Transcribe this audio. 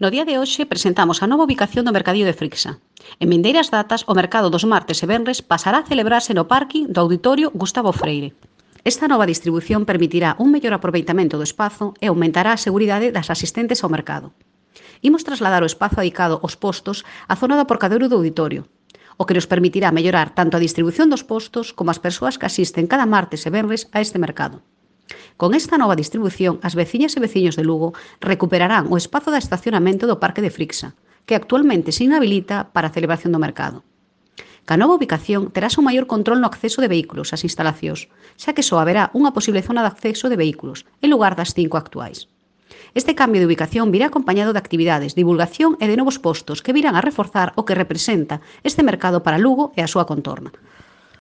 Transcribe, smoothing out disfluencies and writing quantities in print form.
No día de hoxe presentamos a nova ubicación do Mercadillo de Frixa. En vindeiras datas, o mercado dos martes e venres pasará a celebrarse no parking do Auditorio Gustavo Freire. Esta nova distribución permitirá un mellor aproveitamento do espazo e aumentará a seguridade das asistentes ao mercado. Imos trasladar o espazo dedicado aos postos á zona do aparcadoiro do auditorio, o que nos permitirá mellorar tanto a distribución dos postos como as persoas que asisten cada martes e venres a este mercado. Con esta nova distribución, as veciñas e veciños de Lugo recuperarán o espazo de estacionamento do Parque de Frixa, que actualmente se inhabilita para a celebración do mercado. Ca nova ubicación terás un maior control no acceso de vehículos ás instalacións, xa que só haberá unha posible zona de acceso de vehículos, en lugar das 5 actuais. Este cambio de ubicación virá acompañado de actividades, divulgación e de novos postos que virán a reforzar o que representa este mercado para Lugo e a súa contorna.